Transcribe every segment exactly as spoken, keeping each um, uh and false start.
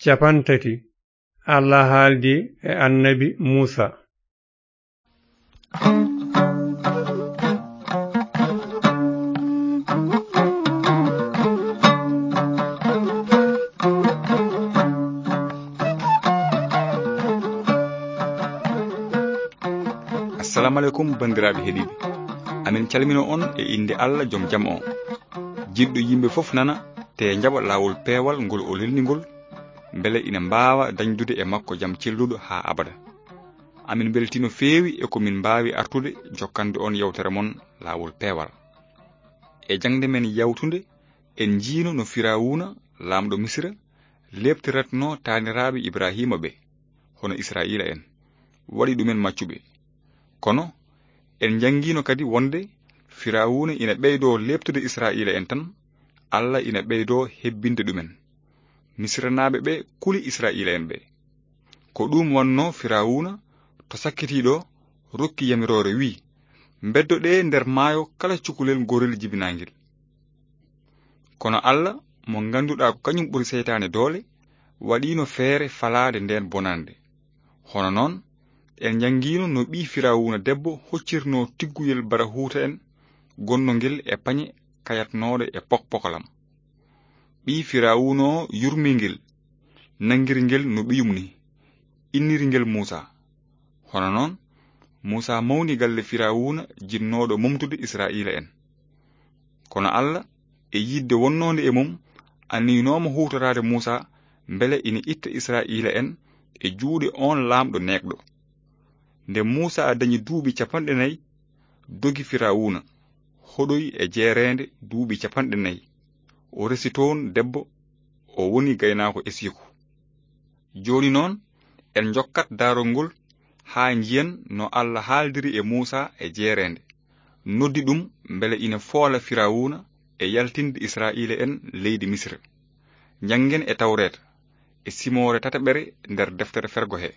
Cappanɗe tati. Allah haaldi e annabi Muusa. Assalamu aleykum, banndiraaɓe heɗiiɓe. Amin calmino on e innde Allah, jom jam on. Jiɗɗo yimɓe fof nana, te jaɓa laawol peewal ngol o lelni ngol, mbele ina mbaawa dañdude e makko jam celluɗo haa abada. Amin mbeltii no feewi e ko min mbaawi artude jokkande on yewtere mon laawol peewal. E jaŋde men yawtunde, en njiino no Firawuna, laamɗo Misira, leeptiratnoo taaniraaɓe Ibraahiima ɓe, hono Israa'iila en, waɗi ɗumen maccuɓe. Kono, en njanngiino kadi wonde Firawuna ina ɓeydoo leeptude Israa'iila en tan, Allah ina ɓeydoo hebbinde ɗumen. Misranaaɓe ɓe kuli Israa'iila en ɓe. Ko ɗum wannoo Firawuna to sakkitiiɗo rokki yamiroore, wi'i, "Mbeddoɗee nder maayo kala cukalel gorel jibinaangel." Kono Allah, mo ngannduɗaa ko kañum ɓuri seytaane doole, waɗiino feere falaade ndeen bonannde. Hono noon, en njanngiino no ɓii Firawuna debbo hoccirnoo tigguyel barahuuta en gonnongel e pañe kayatnooɗo e pokpokolam. Ɓii Firawuna o yurmii ngel, nanngiri ngel no ɓiyum ni, inniri ngel Muusa. Hono noon, Muusa mawni galle Firawuna jinnooɗo momtude Israa'iila en. Kono Allah, e yiɗde wonnoonde e mum, anniynooma huutoraade Muusa mbele ina itta Israa'iila en e juuɗe oon laamɗo neeɓɗo. Nde Muusa dañi duuɓi cappanɗe nayi, dogi Firawuna, hoɗoyi e jeereende duuɓi cappanɗe nayi. O resi toon debbo, o woni gaynaako esiiko. Jooni noon, en njokkat daarol ngol haa njiyen no Allah haaldiri e Muusa e jeereende, noddi ɗum mbele ina foola Firawuna e yaltinde Israa'iila en leydi Misira. Njanngen e Tawreeta, e simoore tataɓere nder deftere fergo he.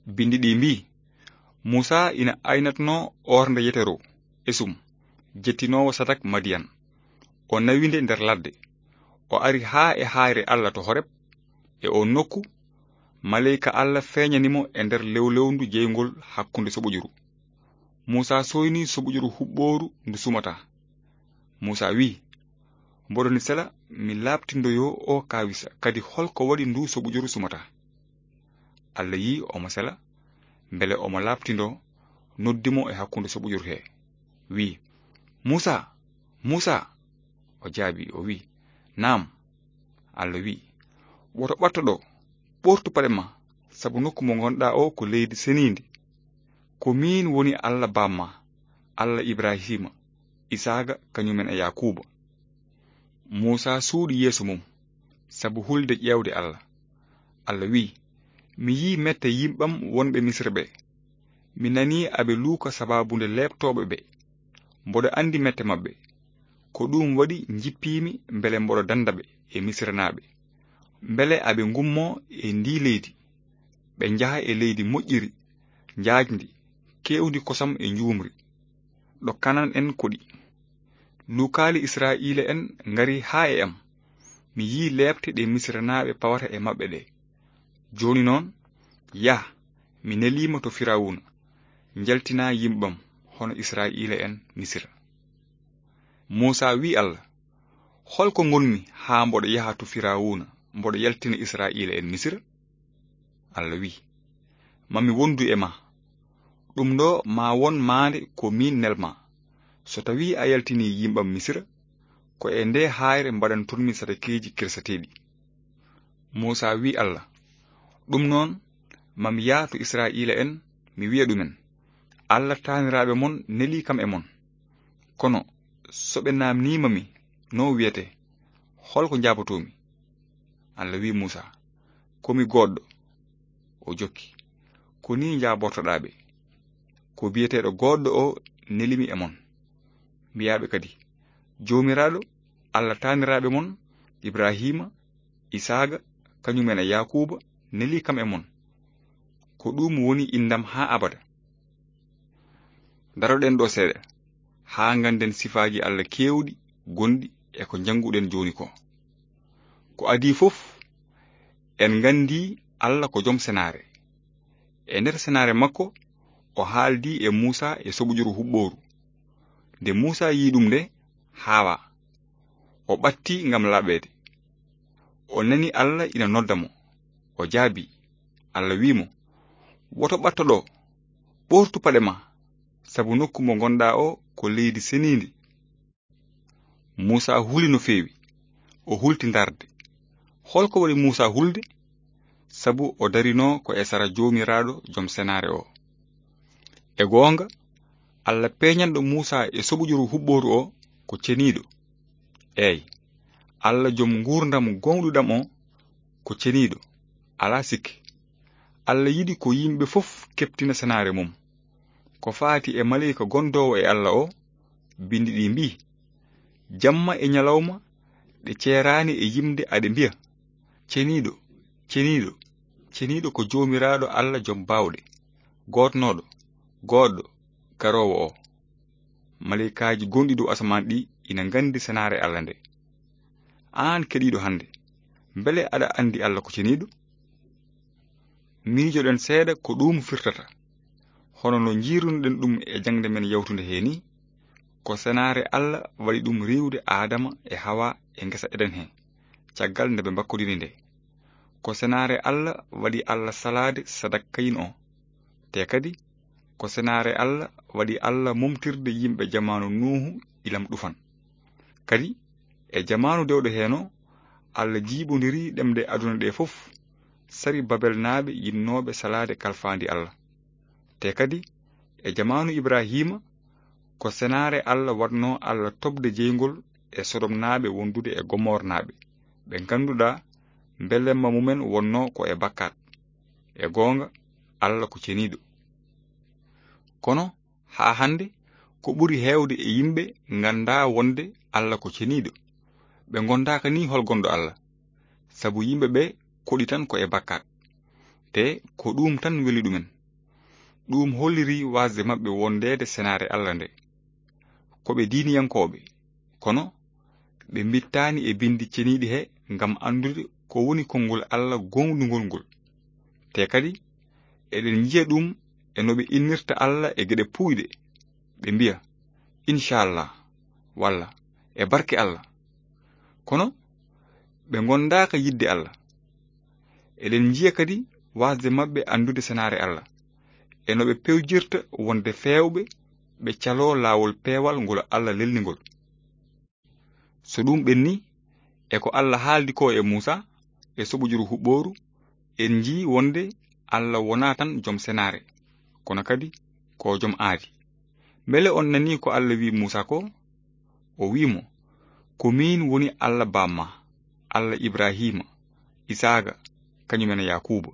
Binndi ɗi mbii, Muusa ina aynatnoo ornde Yetero, esum, jettinoowo sadak Madiyan. O nawi nde nder ladde. O ari haa e haayre Allah to Horeb, e oon nokku, maleyka Allah feeñani mo e nder lewlewndu jeyngol hakkunde soɓojuru. Muusa sooynii soɓojuru huɓɓooru ndu sumataa. Muusa wi'i, "Mboɗo ni sela mi laaɓtindoyoo o kaawisa, kadi holko waɗi ndu soɓojuru sumataa?" Allah yi'i omo sela, mbele omo laaɓtindoo, noddi mo e hakkunde soɓojuru he, wi'i, "Muusa, Muusa!" O jaabii, o wi'i, "Naam." Allah wi'i, "Woto ɓatto ɗo, ɓortu paɗe ma, sabu nokku mo ngonɗaa o ko leydi seniindi. Ko miin woni Allah baam ma, Allah Ibrahiima, Isaaga, kañum en e Yaakuuba." Muusa suuɗi yeeso mum, sabu hulde ƴeewde Allah. Allah wi'i, "Mi yi'i mette yimɓam wonɓe Misira ɓe. Mi nanii aɓe luuka sabaabu nde leeptooɓe ɓe. Mboɗo anndi mette maɓɓe. Ko ɗum waɗi njippiimi mbele mboɗo dannda ɓe e Misiranaaɓe. Mbele aɓe ngummoo e ndii leydi, ɓe njaha e leydi moƴƴiri, njaajndi, keewndi kosam e njuumri, ɗo Kanan en koɗi. Luukaali Israa'iila en ngari haa e am. Mi yi'i leepte ɗe Misiranaaɓe pawata e maɓɓe ɗe. Jooni noon, yah, mi neliima to Firawuna, njaltinaa yimɓam hono Israa'iila en Misira." Muusa wi'i Allah, "Holko ngonmi haa mboɗo yaha to Firawuna, mboɗo yaltina Israa'iila en Misira?" Allah wi'i, "Ma mi wondu e ma. Ɗum ɗo ma won maande ko miin nelma. So tawii a yaltinii yimɓam Misira, ko e nde haayre mbaɗantonmi sadakeeji kirsateeɗi." Muusa wi'i Allah, "Ɗum noon, ma mi yah to Israa'iila en, mi wi'a ɗumen, 'Allah taaniraaɓe mon nelii kam e mon.' Kono so ɓe naamniima mi, no wi'etee, holko njaabotoomi?" Allah wi'i Muusa, "Ko mi goodɗo." O jokki, "Ko nii njaabortoɗaa ɓe, 'Ko biyeteeɗo goodɗo o nelimi e mon.' Mbi'aa ɓe kadi, 'Joomiraaɗo, Allah taaniraaɓe mon, Ibrahiima, Isaaga, kañum en e Yaakuuba, nelii kam e mon. Ko ɗum woni inndam haa abada.'" Daroɗen ɗo seeɗa, haa ngannden sifaaji Allah keewɗi gonɗi e ko njannguɗen jooni ko. Ko adii fof, En nganndi Alla ko jom senaare. E nder senaare makko, o haaldi e Muusa e soɓujuru huɓɓooru. Nde Muusa yii ɗum nde, haawa. O ɓatti ngam laaɓeede. O nani Alla ina nodda mo. O jaabi. Alla wi'i mo, "Woto ɓatto ɗo. Ɓoortu paɗe ma, sabu nokku mo ngonɗaa o ko leydi seniindi." Muusa huli no feewi. O hulti ndarde. Hol ko waɗi Muusa hulde? Sabu o darinoo ko e sara Joomiraaɗo, jom senaare o. E goonga, Alla peeñanɗo Muusa e soɓujuru huɓɓooru o ko ceniiɗo. Eey, Alla jom nguurndam gooŋɗuɗam o ko ceniiɗo, alaa sikke. Alla yiɗi ko yimɓe fof keɓtina senaare mum. Ko faati e maleyka gondoowo e Alla o, binndi ɗi mbii, "Jamma e ñalawma ɗe ceeraani e yimde aɗe mbiya, 'Ceniiɗo, ceniiɗo, ceniiɗo ko Joomiraaɗo Alla jom baawɗe, gootnooɗo, goodɗo, garoowo o.'" Maleykaaji gonɗi dow asamaan ɗi ina nganndi senaare Alla nde. Aan keɗiiɗo hannde, mbele aɗa anndi Alla ko ceniiɗo? Miijoɗen seeɗa ko ɗum firtata. Hono no njiirunoɗen ɗum e jaŋde men yawtunde hee nii, ko senaare Alla waɗi ɗum riiwde Aadama e Hawa e ngesa Eden hee, caggal nde ɓe mbakkodiri nde. Ko senaare Alla waɗi Alla salaade sadak Kayin o. Te kadi, ko senaare Alla waɗi Alla momtirde yimɓe jamaanu Nuuhu ilam ɗufan. Kadi, e jamaanu dewɗo heen o, Alla jiiɓondiri ɗemɗe aduna ɗe fof, sari Babelnaaɓe yiɗnooɓe salaade kalfaandi Alla. Te kadi, e jamaanu Ibrahiima, ko senaare Alla waɗnoo Alla toɓde jeyngol e Sodomnaaɓe wondude e Gomornaaɓe, ɓe ngannduɗaa mbelemma mumen wonnoo ko e bakkaat. E goonga, Alla ko ceniiɗo. Kono haa hannde, ko ɓuri heewde e yimɓe nganndaa wonde Alla ko ceniiɗo. Ɓe ngonndaaka nii hol gonɗo Alla, sabu yimɓe ɓe koɗi tan ko e bakkaat. Te ko ɗuum tan weli ɗumen. Ɗuum holliri waasde maɓɓe wondeede senaare Alla nde. Ko ɓe diiniyankooɓe, kono ɓe mbittaani e binndi ceniiɗi he ngam anndude ko woni konngol Alla gooŋɗungol ngol. Te kadi, eɗen njiya ɗum e no ɓe innirta Alla e geɗe puuyɗe. Ɓe mbiya, "Inchallah," walla "E barke Alla." Kono ɓe ngondaaka yiɗde Alla. Eɗen njiya kadi waasde maɓɓe anndude senaare Alla, e no ɓe pewjirta wonde feewɓe, ɓe caloo laawol peewal ngol Alla lelni ngol. So ɗum ɓenni, e ko Alla haaldi ko e Muusa, e soɓujuru huɓɓooru, en njii wonde Alla wonaa tan jom senaare, kono kadi ko jom aadi. Mbele on nanii ko Alla wi'i Muusa ko? O wi'i mo, "Ko miin woni Alla baam ma, Alla Ibrahiima, Isaaga, kañum en Yaakuuba."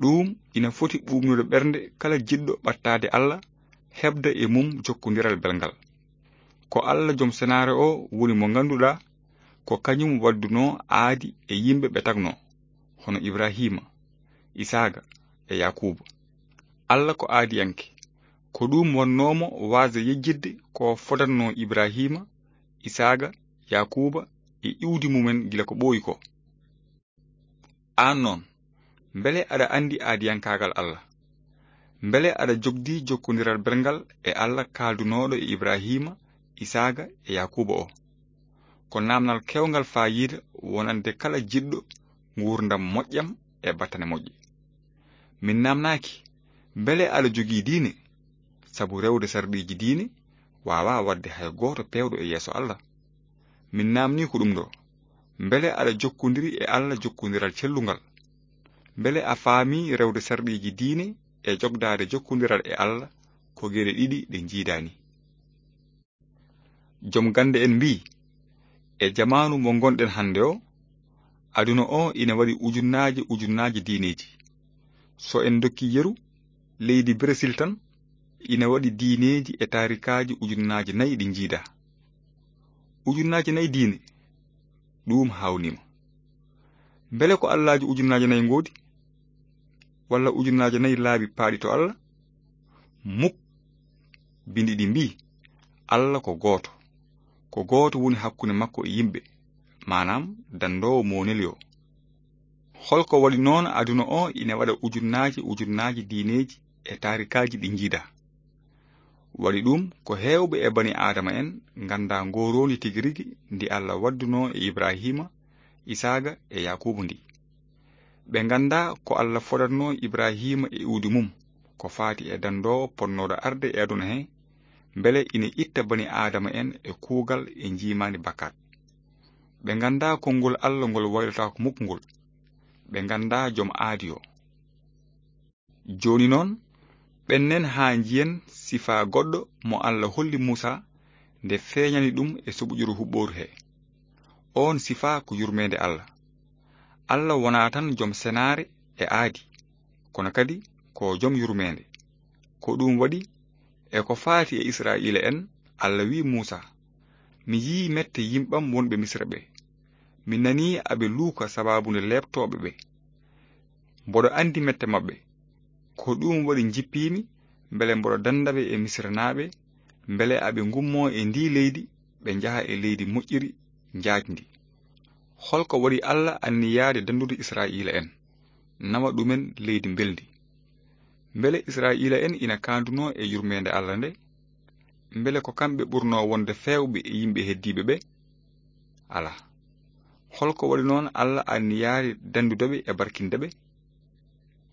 Ɗum ina foti ɓuuɓnude ɓernde kala jiɗɗo ɓattaade Alla, heɓda e mum jokkondiral belngal. Ko Alla jom senaare o woni mo ngannduɗaa ko kañum waddunoo aadi e yimɓe ɓe tagnoo, hono Ibrahiima, Isaaga e Yaakuuba. Alla ko aadiyanke. Ko ɗum wonnoo mo waasde yejjitde ko fodannoo Ibrahiima, Isaaga, Yaakuuba e iwdi mumen gila ko ɓooyi ko. Aan noon, mbele aɗa anndi aadiyankaagal Alla? Mbele aɗa jogdi jokkondiral belngal e Alla kaaldunooɗo e Ibrahiima, Isaaga e Yaakuuba o? Ko naamnal keewngal faayiida wonande kala jiɗɗo nguurndam moƴƴam e battane moƴƴe. Min naamnaaki, mbele aɗa jogii diine? Sabu rewde sarɗiiji diine waawaa waɗde hay gooto peewɗo e yeeso Alla. Min naamnii ko ɗum ɗo, mbele aɗa jokkondiri e Alla jokkondiral cellungal? Mbele a faamii rewde sarɗiiji diine e jogdaade jokkondiral e Alla ko geɗe ɗiɗi ɗe njiidaani? Jom gannde en mbii, e jamaanu mo ngonɗen hannde o, aduna o ina waɗi ujunnaaje ujunnaaje diineeji. So en ndokki yeru, leydi Brésil tan ina waɗi diineeji e taarikaaji ujunnaaje nayi ɗi njiidaa. Ujunnaaje nayi diine, ɗum haawniima. Mbele ko allaaji ujunnaaje nayi ngoodi? Walla ujunnaaje nayi laabi paaɗi to Alla? Muk. Binndi ɗi mbii, Alla ko gooto. Ko gooto woni hakkunde makko e yimɓe, maanaam danndoowo mo o neli o. Hol ko waɗi noon aduna o ina waɗa ujunnaaji ujunnaaji diineeji e taarikaaji ɗi njiida? Waɗi ɗum ko heewɓe e bani aadama en nganndaa ngooroondi tigi rigi ndi Allah waddunoo e Ibraahiima, Isaaga e Yaakuuba ndi. Ɓe nganndaa ko Allah fodatnoo Ibraahiima e iwdi mum ko faati e dandoowo potnooɗo arde e aduna he, mbele ina itta bani aadama en e kuugal e njiimaandi bakkaat. Ɓe nganndaa konngol Allah ngol waylotaako mukk ngol. Ɓe nganndaa joom aadi o. Jooni noon, ɓennen haa njiyen sifaa goɗɗo mo Allah holli Muusa nde feeñani ɗum e suɓuƴuru huɓɓooru he. Oon sifaa ko yurmeende Allah. Allah wonaa tan joom senaare e aadi, kono kadi ko joom yurmeende. Ko ɗum waɗi, e ko faati e Israa'iila en, Allah wi'i Muusa, "Mi yii mette yimɓam wonɓe Misira ɓe. Mi nanii aɓe luuka sabaabu nde leeptooɓe ɓe. Mboɗo anndi mette maɓɓe. Ko ɗum waɗi njippiimi, mbele mboɗo dannda ɓe e Misiranaaɓe, mbele aɓe ngummoo e ndii leydi, ɓe njaha e leydi moƴƴiri, njaajndi." Hol ko waɗi Allah anniyaade danndude Israa'iila en, nawa ɗumen leydi mbelndi? Mbele Israa'iila en ina kaandunoo e yurmeende Allah nde? Mbele ko kamɓe ɓurnoo wonde feewɓe e yimɓe heddiiɓe ɓe? Alaa. Hol ko waɗi noon Allah anniyaade danndude ɓe e barkinde ɓe?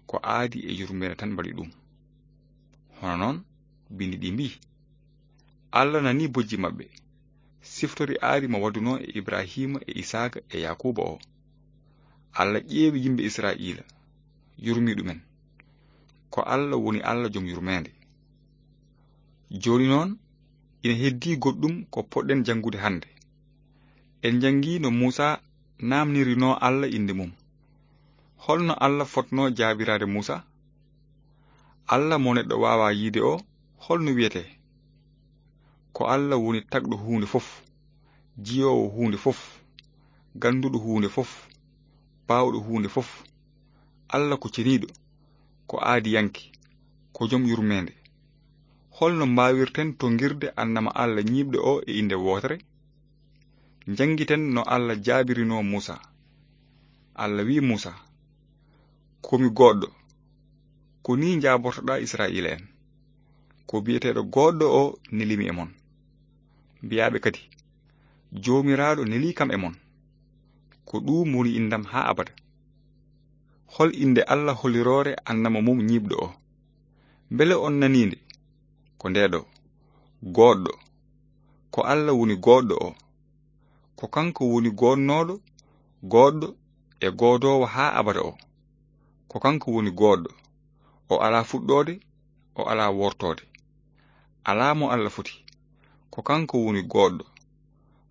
Ko aadi e yurmeende tan mbaɗi ɗum. Hono noon, binndi ɗi mbii, "Allah nanii bojji maɓɓe, siftori aadi mo waddunoo e Ibraahiima e Isaaka e Yaakuuba o. Allah ƴeewi yimɓe Israa'iila, yurmii ɗumen." Ko Allah woni Allah joom yurmeende. Jooni noon, ina heddii goɗɗum ko poɗɗen janngude hannde. En njanngii no Muusa naamnirinoo Allah innde mum. Holno Allah fotnoo jaabiraade Muusa? Allah mo neɗɗo waawaa yiide o, holno wiyetee? Ko Allah woni tagɗo huunde fof, jiyoowo huunde fof, gannduɗo huunde fof, baawɗo huunde fof. Allah ko ceniiɗo, ko aadiyanke, ko joom yurmeende. Holno mbaawirten tonngirde annama Allah ñiiɓɗo o e innde wootere? Njanngiten no Allah jaabirinoo Muusa. Allah wi'i Muusa, "Ko mi goodɗo. Ko nii njaabortoɗaa Israa'iila en. Ko biyeteeɗo goodɗo o nelimi e mon." Mbiyaaɓe kadi, "Joomiraaɗo nelii kam e mon." Ko ɗuum woni inndam haa abada. Hol innde Allah holiroore annama mum ñiiɓɗo o? Mbele on nanii nde? Ko ndee ɗo, goodɗo. Ko Allah woni goodɗo o. Ko kanko woni goodnooɗo, goodɗo e goodoowo haa abada o. Ko kanko woni goodɗo. O alaa fuɗɗoode, o alaa wortoode. Alaa mo Allah foti. Ko kanko woni goodɗo.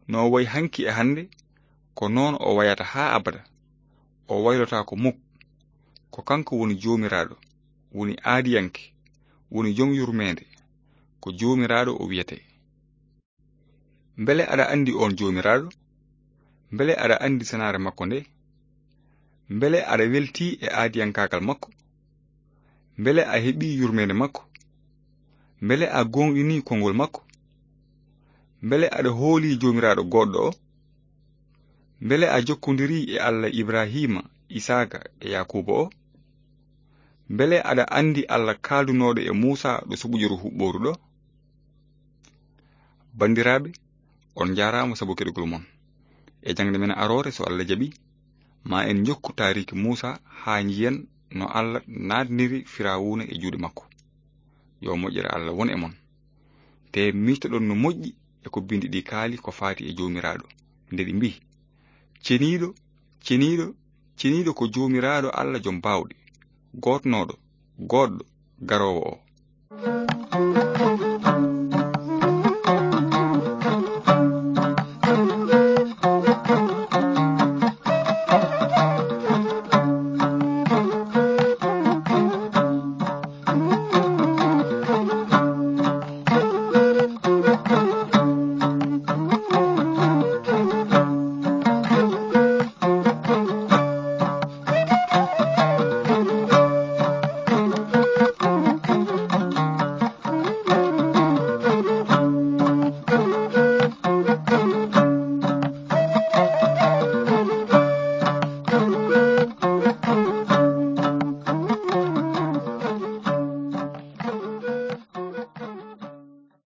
No o wayi hanki e hannde, ko noon o wayata haa abada. O waylotaako muk. Ko kanko woni Joomiraaɗo, woni aadiyanke, woni joom yurmeende. Ko Joomiraaɗo o wiyetee. Mbele aɗa anndi oon Joomiraaɗo? Mbele aɗa anndi senaare makko nde? Mbele aɗa weltii e aadiyankaagal makko? Mbele a heɓii yurmeende makko? Mbele a gooŋɗinii konngol makko? Mbele aɗa hoolii Joomiraaɗo goodɗo o? Mbele a jokkondirii e Allah Ibrahiima, Isaaka e Yaakuuba o? Mbele aɗa anndi Allah kaaldunooɗo e Muusa ɗo suɓuƴuru huɓɓooru ɗo? Banndiraaɓe, on njaaraama sabu keɗugol mon. E jaŋde men aroore, so Allah jaɓi, ma en njokku taariiki Muusa haa njiyen no Allah naatniri Firawuna e juuɗe makko. Yo moƴƴere Allah won e mon. Te miijtoɗon no moƴƴi e ko binndi ɗi kaali ko faati e Joomiraaɗo, nde ɗi mbii, "Ceniiɗo, ceniiɗo, ceniiɗo ko Joomiraaɗo Allah joom baawɗe, gootnooɗo, goodɗo, garoowo o."